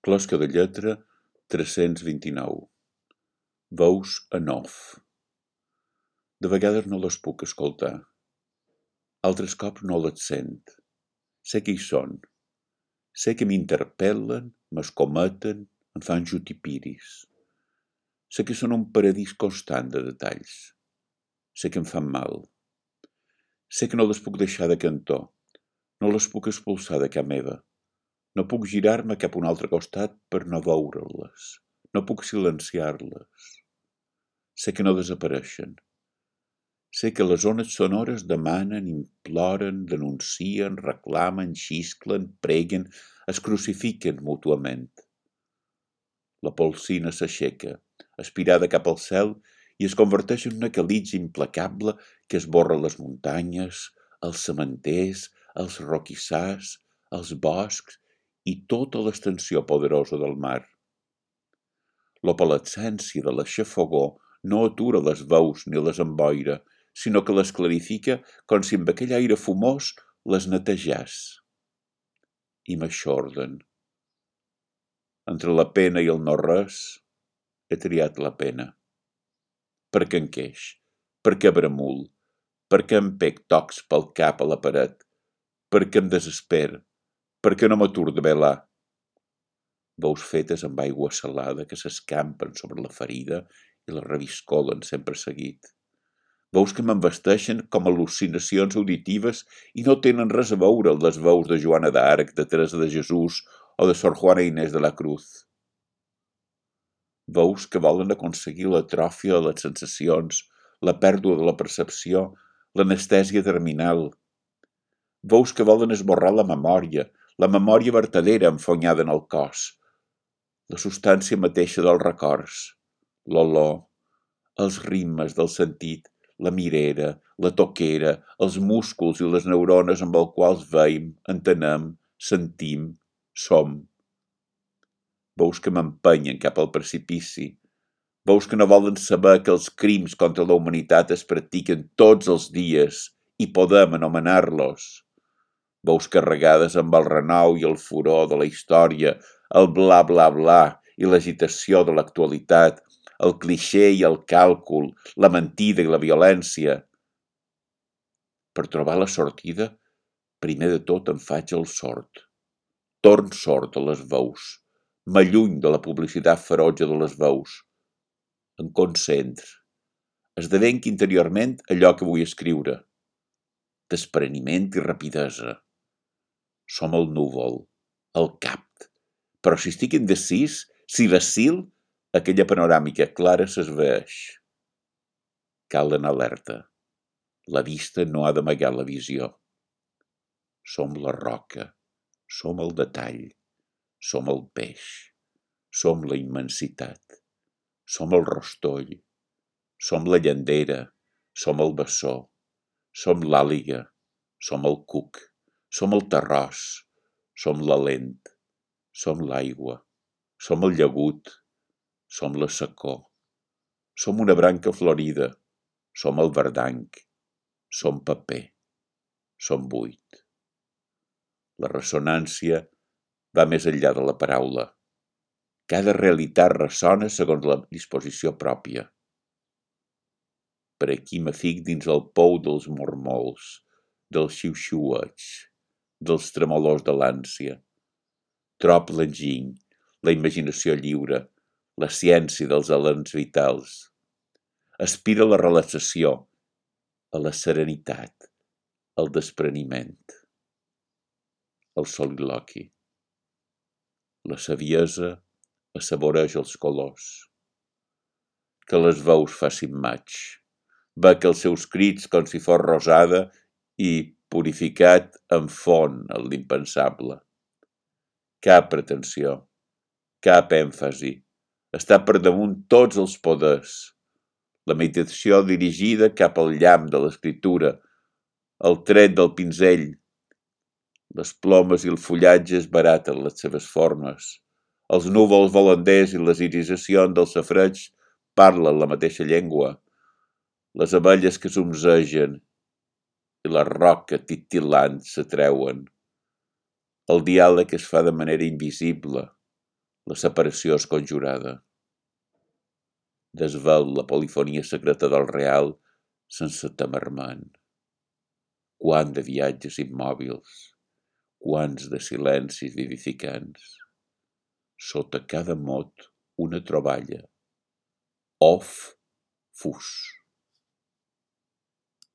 Closca de lletra 329. Veus en off. De vegades no les puc escoltar. Altres cops no les sent. Sé que hi són. Sé que m'interpel·len, m'escometen, em fan jutipiris. Sé que són un paradís constant de detalls. Sé que em fan mal. Sé que no les puc deixar de cantó. No les puc expulsar de ca meva. No puc girar-me cap a un altre costat per no veure-les. No puc silenciar-les. Sé que no desapareixen. Sé que les ones sonores demanen, imploren, denuncien, reclamen, xisclen, preguen, es crucifiquen mútuament. La polsina s'aixeca, aspirada cap al cel, i es converteix en una calitja implacable que esborra les muntanyes, els cementers, els roquissars, els boscs i tota l'extensió poderosa del mar. L'opalescència de la xafogor no atura les veus ni les emboira, sinó que les clarifica com si amb aquell aire fumós les netejàs. I m'aixorden. Entre la pena i el no-res, he triat la pena. Per què enqueix? Per què bramul? Per què em pec tocs pel cap a la paret? Per què em desesper? Per què no m'atur de velar? Veus fetes amb aigua salada que s'escampen sobre la ferida i la reviscolen sempre seguit. Veus que m'envesteixen com al·lucinacions auditives i no tenen res a veure amb les veus de Joana d'Arc, de Teresa de Jesús o de Sor Juana Inés de la Cruz. Veus que volen aconseguir l'atròfia de les sensacions, la pèrdua de la percepció, l'anestèsia terminal. Veus que volen esborrar la memòria vertadera enfonyada en el cos, la substància mateixa dels records, l'olor, els ritmes del sentit, la mirera, la toquera, els músculs i les neurones amb els quals veiem, entenem, sentim, som. Veus que m'empenyen cap al precipici. Veus que no volen saber que els crims contra la humanitat es practiquen tots els dies i podem anomenar-los. Veus carregades amb el renou i el furor de la història, el bla bla bla i l'agitació de l'actualitat, el clixé i el càlcul, la mentida i la violència. Per trobar la sortida, primer de tot em faig el sord. Torn sord a les veus. M'alluny de la publicitat ferotge de les veus. Em concentro. Esdevenc interiorment allò que vull escriure. Despreniment i rapidesa. Som el núvol, el cap. Però si estic indecís, si vacil, aquella panoràmica clara s'esvaeix. Cal anar alerta. La vista no ha d'amagar la visió. Som la roca, som el detall, som el peix, som la immensitat, som el rostoll, som la llandera, som el bessó, som l'àliga, som el cuc, som el terròs, som la lent, som l'aigua, som el llagut, som la secor, som una branca florida, som el verdanc, som paper, som buit. La ressonància va més enllà de la paraula. Cada realitat ressona segons la disposició pròpia. Per aquí m'afic dins el pou dels mormols, dels xiu-xiuets, dels tremolors de l'ànsia. Trop l'enginy, la imaginació lliure, la ciència dels alens vitals. Aspira a la relaxació, a la serenitat, al despreniment. El soliloqui. La saviesa assaboreix els colors. Que les veus facin maig. Bec els seus crits com si fos rosada i, purificat, enfon en l'impensable. Cap pretensió, cap èmfasi. Està per damunt tots els poders. La meditació dirigida cap al llamp de l'escriptura, el tret del pinzell. Les plomes i el fullatge es baraten les seves formes. Els núvols volanders i les irisacions del safareig parlen la mateixa llengua. Les abelles que zumzegen i la roca titilant s'atreuen. El diàleg es fa de manera invisible. La separació és conjurada. Desvel la polifonia secreta del real sense tamarment. Quant de viatges immòbils, quants de silencis vivificants. Sota cada mot una troballa. Of, fus.